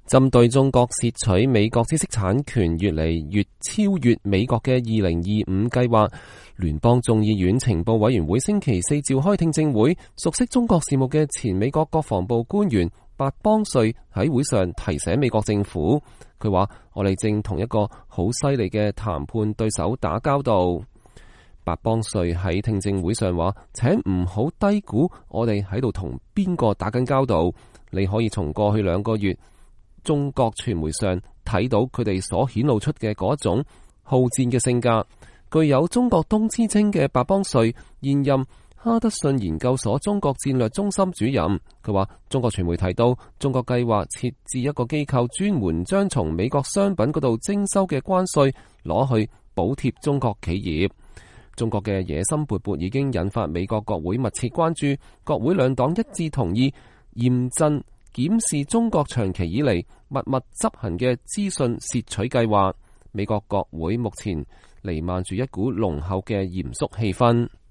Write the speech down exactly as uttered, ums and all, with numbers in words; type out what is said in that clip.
針對中國竊取美國知識產權越嚟越超越美國嘅二零二五計劃，聯邦眾議院情報委員會星期四召開聽證會，熟悉中國事務嘅前美國國防部官員白邦瑞喺會上提醒美國政府，佢話：我哋正同一個好犀利嘅談判對手打交道。白邦瑞喺聽證會上話：請唔好低估我哋喺度同邊個打緊交道。你可以從過去兩個月中國傳媒上睇到佢哋所顯露出嘅嗰種好戰嘅性格。具有中國東之稱嘅白邦瑞現任哈德遜研究所中國戰略中心主任，佢話中國傳媒提到中國計劃設置一個機構，專門將從美國商品嗰度徵收嘅關稅攞去補貼中國企業。中國嘅野心勃勃已經引發美國國會密切關注，國會兩黨一致同意嚴陣檢視中國長期以嚟密密執行嘅資訊竊取計劃。美國國會目前彌漫住一股濃厚嘅嚴肅氣氛。